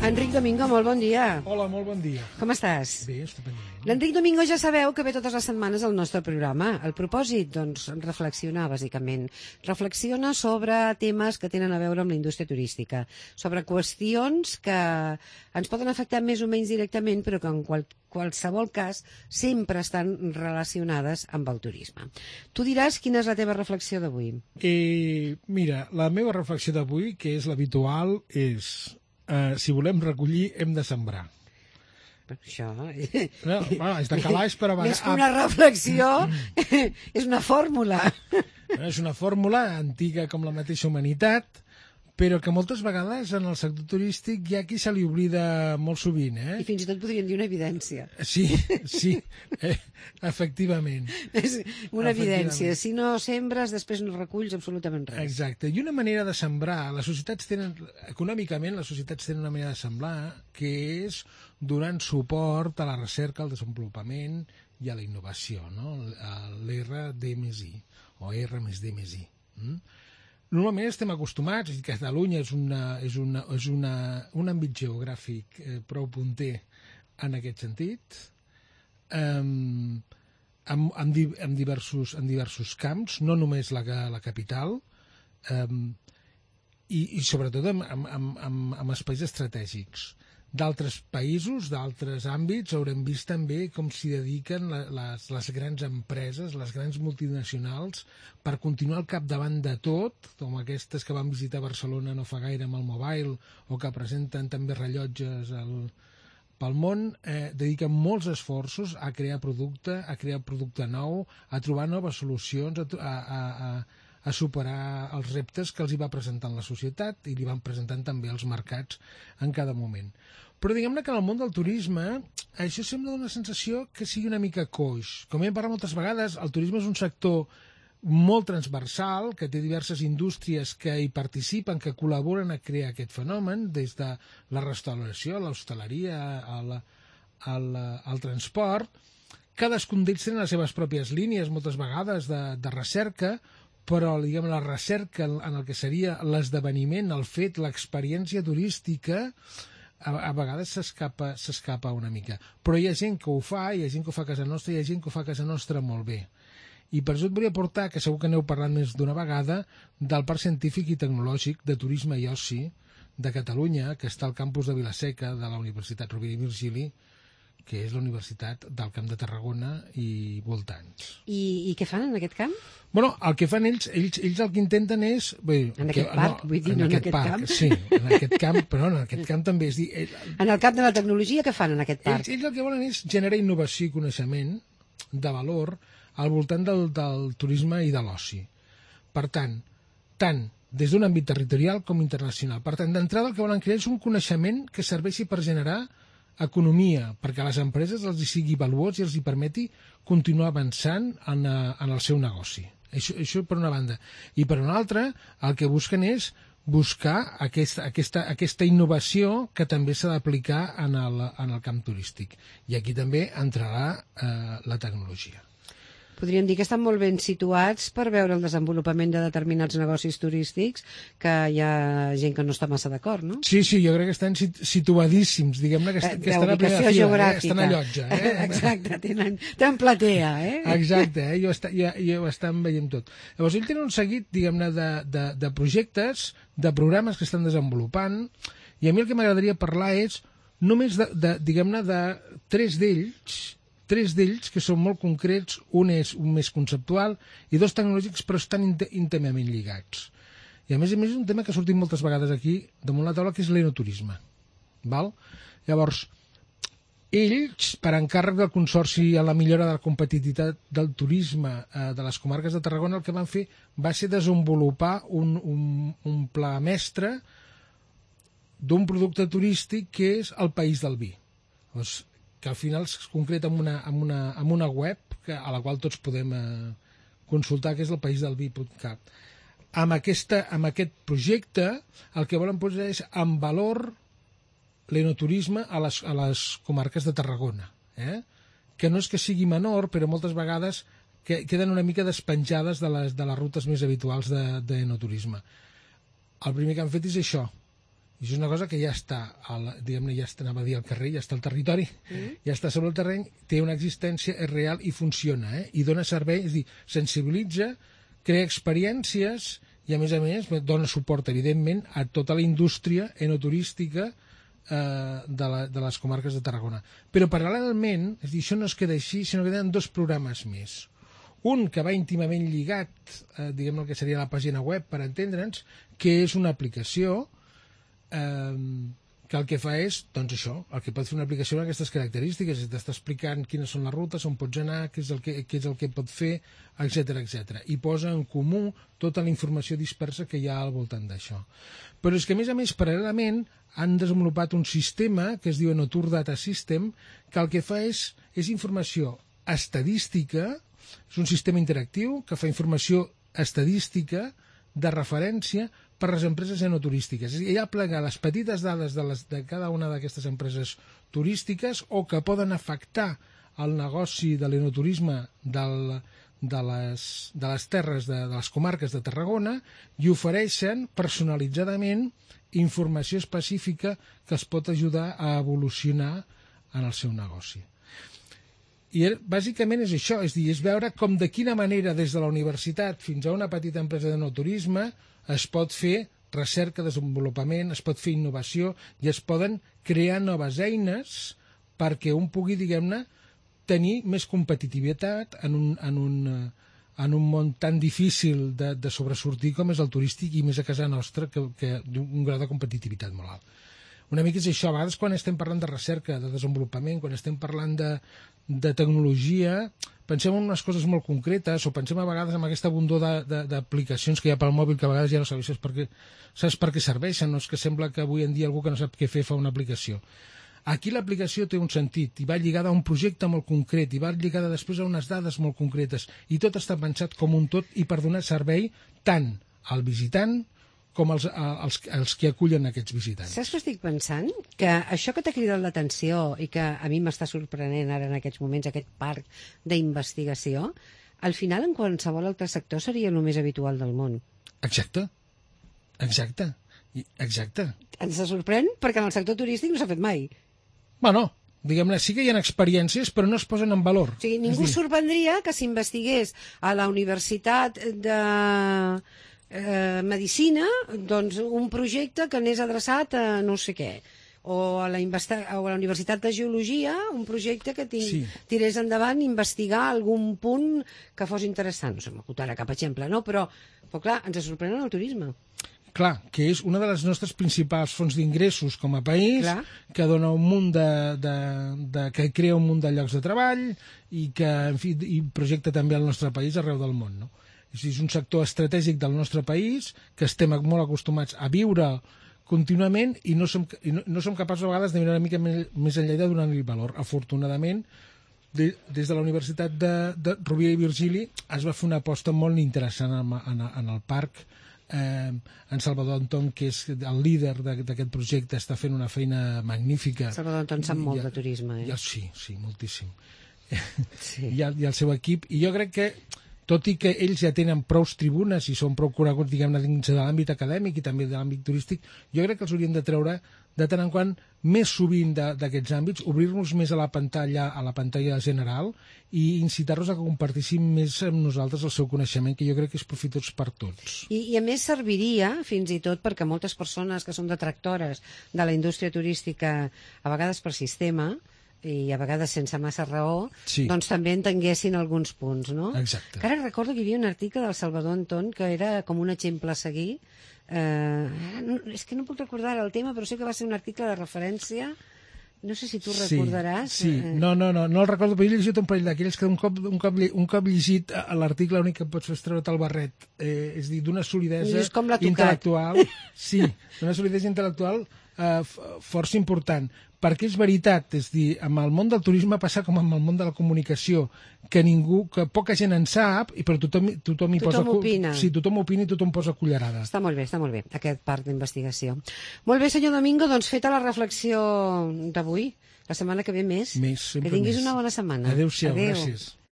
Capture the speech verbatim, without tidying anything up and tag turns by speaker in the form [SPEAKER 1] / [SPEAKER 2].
[SPEAKER 1] Enric Domingo, molt bon dia.
[SPEAKER 2] Hola, molt bon dia.
[SPEAKER 1] Com estàs?
[SPEAKER 2] Bé, estupendament.
[SPEAKER 1] L'Enric Domingo ja sabeu que ve totes les setmanes al nostre programa. El propòsit, doncs, reflexionar, bàsicament. Reflexiona sobre temes que tenen a veure amb la indústria turística, sobre qüestions que ens poden afectar més o menys directament, però que en qual, qualsevol cas sempre estan relacionades amb el turisme. Tu diràs quina és la teva reflexió d'avui.
[SPEAKER 2] Eh, mira, la meva reflexió d'avui, que és l'habitual, és... Uh, si volem recollir, hem de sembrar.
[SPEAKER 1] Això...
[SPEAKER 2] No, bueno, és de calaix, però...
[SPEAKER 1] Més que una reflexió, és una fórmula.
[SPEAKER 2] És una fórmula antiga com la mateixa humanitat, però que moltes vegades en el sector turístic hi ha qui se li oblida molt sovint. Eh?
[SPEAKER 1] I fins i tot podríem dir una evidència.
[SPEAKER 2] Sí, sí, eh, efectivament.
[SPEAKER 1] És una evidència. Si no sembres, després no reculls absolutament res.
[SPEAKER 2] Exacte. I una manera de sembrar, les societats tenen, econòmicament, les societats tenen una manera de sembrar que és donant suport a la recerca, al desenvolupament i a la innovació, no? l'R D més I, o R més D més I. Mm? Normalment estem acostumats, i Catalunya és, una, és, una, és una, un àmbit geogràfic eh, prou punter en aquest sentit, um, amb, amb, di, amb, diversos, amb diversos camps, no només la, la capital, um, i, i sobretot amb, amb, amb, amb espais estratègics. D'altres països, d'altres àmbits, haurem vist també com s'hi dediquen les, les grans empreses, les grans multinacionals, per continuar al capdavant de tot, com aquestes que van visitar Barcelona no fa gaire amb el Mobile, o que presenten també rellotges al, pel món, eh, dediquen molts esforços a crear producte, a crear producte nou, a trobar noves solucions, a, a, a, a superar els reptes que els hi va presentant la societat i li van presentant també els mercats en cada moment. Però diguem-ne que en el món del turisme això sembla una sensació que sigui una mica coix. Com hem parlat moltes vegades, el turisme és un sector molt transversal, que té diverses indústries que hi participen, que col·laboren a crear aquest fenomen, des de la restauració, l'hostaleria, el, el, el transport. Cadascun d'ells tenen les seves pròpies línies, moltes vegades, de, de recerca, però diguem, la recerca en el que seria l'esdeveniment, el fet, l'experiència turística, a, a vegades s'escapa s'escapa una mica. Però hi ha gent que ho fa, hi ha gent que ho fa a casa nostra, hi ha gent que ho fa a casa nostra molt bé. I per això et volia portar, que segur que n'heu parlat més d'una vegada, del Parc Científic i Tecnològic de Turisme i Oci de Catalunya, que està al campus de Vilaseca de la Universitat Rovira i Virgili, que és la Universitat del Camp de Tarragona i voltants.
[SPEAKER 1] I, i què fan en aquest camp?
[SPEAKER 2] Bueno, el que fan ells, ells, ells el que intenten és... Bé,
[SPEAKER 1] en
[SPEAKER 2] que,
[SPEAKER 1] aquest parc,
[SPEAKER 2] no,
[SPEAKER 1] vull dir,
[SPEAKER 2] en
[SPEAKER 1] no en aquest
[SPEAKER 2] parc,
[SPEAKER 1] camp.
[SPEAKER 2] Sí, en aquest camp, però no, en aquest camp també és dir... Ell,
[SPEAKER 1] en el camp de la tecnologia, què fan en aquest parc?
[SPEAKER 2] Ells, ells el que volen és generar innovació i coneixement de valor al voltant del, del turisme i de l'oci. Per tant, tant des d'un àmbit territorial com internacional. Per tant, d'entrada el que volen crear és un coneixement que serveixi per generar economia, perquè a les empreses els hi sigui valuós i els hi permeti continuar avançant en, en el seu negoci. Això, això per una banda. I per una altra, el que busquen és buscar aquesta, aquesta, aquesta innovació que també s'ha d'aplicar en, el, en el camp turístic. I aquí també entrarà eh, la tecnologia.
[SPEAKER 1] Podríem dir que estan molt ben situats per veure el desenvolupament de determinats negocis turístics, que hi ha gent que no està massa d'acord, no?
[SPEAKER 2] Sí, sí, jo crec que estan situadíssims, diguem-ne que, est que estan a primera fila, eh? Estan a llotja. Eh?
[SPEAKER 1] Exacte, tenen, tenen platea, eh?
[SPEAKER 2] Exacte, eh? jo, està, jo, jo ho estan veient tot. Llavors, ells tenen un seguit, diguem-ne, de, de, de projectes, de programes que estan desenvolupant, i a mi el que m'agradaria parlar és només, de, de, diguem-ne, de tres d'ells, tres d'ells que són molt concrets, un és un més conceptual i dos tecnològics, però estan íntimament lligats. I a més a més és un tema que ha sortit moltes vegades aquí damunt la taula, que és l'enoturisme. Val? Llavors, ells, per encàrrec del Consorci a la millora de la competitivitat del turisme eh, de les comarques de Tarragona, el que van fer va ser desenvolupar un, un, un pla mestre d'un producte turístic que és el País del Vi. Llavors, que al final es concreta en una, en una, en una web que, a la qual tots podem eh, consultar, que és el país del vi punt cat. Amb, aquesta, amb aquest projecte el que volen posar és en valor l'enoturisme a les, a les comarques de Tarragona. Eh? Que no és que sigui menor, però moltes vegades que queden una mica despenjades de les, de les rutes més habituals d'enoturisme. El primer que han fet és això, I això és una cosa que ja està, al, diguem-ne, ja està, anava a dir al carrer, ja està al territori, mm. ja està sobre el terreny, té una existència, és real i funciona, eh? I dona servei, és a dir, sensibilitza, crea experiències i, a més a més, dona suport, evidentment, a tota la indústria enoturística eh, de, la, de les comarques de Tarragona. Però, paral·lelment, és a dir, això no es queda així, sinó que tenen dos programes més. Un que va íntimament lligat, eh, diguem-ne, el que seria la pàgina web, per entendre'ns, que és una aplicació que el que fa és, doncs això, el que pot fer una aplicació amb aquestes característiques, t'està explicant quines són les rutes, on pots anar, què és el que, què és el que pot fer, etcètera, etcètera. I posa en comú tota la informació dispersa que hi ha al voltant d'això. Però és que, a més a més, paral·lelament, han desenvolupat un sistema que es diu Enotur Data System, que el que fa és, és informació estadística, és un sistema interactiu que fa informació estadística de referència per les empreses enoturístiques. És a dir, ella plega les petites dades de, les, de cada una d'aquestes empreses turístiques o que poden afectar el negoci de l'enoturisme del, de, les, de les terres, de, de les comarques de Tarragona, i ofereixen personalitzadament informació específica que els pot ajudar a evolucionar en el seu negoci. I bàsicament és això, és dir, és veure com de quina manera des de la universitat fins a una petita empresa d'enoturisme es pot fer recerca, desenvolupament, es pot fer innovació i es poden crear noves eines perquè un pugui, diguem-ne, tenir més competitivitat en un, en un, en un món tan difícil de, de sobresortir com és el turístic i més a casa nostra, que, que d'un grau de competitivitat molt alt. Una mica és això, a vegades quan estem parlant de recerca, de desenvolupament, quan estem parlant de, de tecnologia, pensem en unes coses molt concretes o pensem a vegades en aquesta abundor d'aplicacions que hi ha pel mòbil que a vegades ja no sabes per què, saps per què serveixen, no? És que sembla que avui en dia algú que no sap què fer fa una aplicació. Aquí l'aplicació té un sentit i va lligada a un projecte molt concret i va lligada després a unes dades molt concretes i tot està pensat com un tot i per donar servei tant al visitant com els, els, els que acullen aquests visitants.
[SPEAKER 1] Saps què estic pensant? Que això que t'ha cridat l'atenció i que a mi m'està sorprenent ara en aquests moments, aquest parc d'investigació, al final en qualsevol altre sector seria el més habitual del món.
[SPEAKER 2] Exacte. Exacte. Exacte.
[SPEAKER 1] Ens sorprèn perquè en el sector turístic no s'ha fet mai.
[SPEAKER 2] Bueno, diguem-ne, sí que hi ha experiències, però no es posen en valor.
[SPEAKER 1] O sigui, ningú dir... sorprendria que s'investigués a la Universitat de eh, Medicina doncs, un projecte que anés adreçat a no sé què. O a, la investa... o a la Universitat de Geologia, un projecte que ting... sí. tirés endavant investigar algun punt que fos interessant. No sé, m'acutarà cap exemple, no? Però, però clar, ens sorprèn el turisme.
[SPEAKER 2] Clar, que és una de les nostres principals fonts d'ingressos com a país, clar, que dona un munt de, de, de, que crea un munt de llocs de treball i que, en fi, i projecta també el nostre país arreu del món, no? És un sector estratègic del nostre país que estem molt acostumats a viure contínuament i no som, i no, no som capaços a vegades de mirar una mica més, més enllà de donar-li valor. Afortunadament, de, des de la Universitat de, de Rovira i Virgili es va fer una aposta molt interessant en, en, en el parc. Eh, en Salvador Anton, que és el líder d'aquest projecte, està fent una feina magnífica.
[SPEAKER 1] Salvador Anton sap molt de turisme, eh?
[SPEAKER 2] I, sí, sí, moltíssim.
[SPEAKER 1] Sí.
[SPEAKER 2] I, el, I el seu equip. I jo crec que, tot i que ells ja tenen prou tribunes i són prou coneguts, diguem-ne, dins de l'àmbit acadèmic i també de l'àmbit turístic, jo crec que els hauríem de treure de tant en quant més sovint d'aquests àmbits, obrir-nos més a la pantalla, a la pantalla general i incitar-los a que compartissin més amb nosaltres el seu coneixement, que jo crec que és profitós per tots.
[SPEAKER 1] I, i a més serviria, fins i tot, perquè moltes persones que són detractores de la indústria turística, a vegades per sistema, i a vegades sense massa raó,
[SPEAKER 2] sí,
[SPEAKER 1] doncs també entenguessin alguns punts, no?
[SPEAKER 2] Exacte.
[SPEAKER 1] Que ara recordo que hi havia un article del Salvador Anton que era com un exemple a seguir. Eh, no, és que no puc recordar el tema, però sé que va ser un article de referència. No sé si tu
[SPEAKER 2] sí,
[SPEAKER 1] recordaràs.
[SPEAKER 2] Sí, no, no, no, no el recordo, però he llegit un parell d'aquells que un cop, un cop, un cop llegit l'article l'únic que pots fer és treure't el barret. Eh, és dir, d'una solidesa intel·lectual. Sí, d'una solidesa intel·lectual eh, força important. Perquè és veritat, és dir, amb el món del turisme passa com amb el món de la comunicació, que ningú, que poca gent en sap, però tothom, tothom hi
[SPEAKER 1] tothom posa... Opina.
[SPEAKER 2] Sí, tothom opina i tothom posa cullerada.
[SPEAKER 1] Està molt bé, està molt bé, aquest part d'investigació. Molt bé, senyor Domingo, doncs feta la reflexió d'avui, la setmana que ve més,
[SPEAKER 2] més
[SPEAKER 1] que tinguis més. Una bona setmana.
[SPEAKER 2] Adéu-siau, Adéu. Gràcies.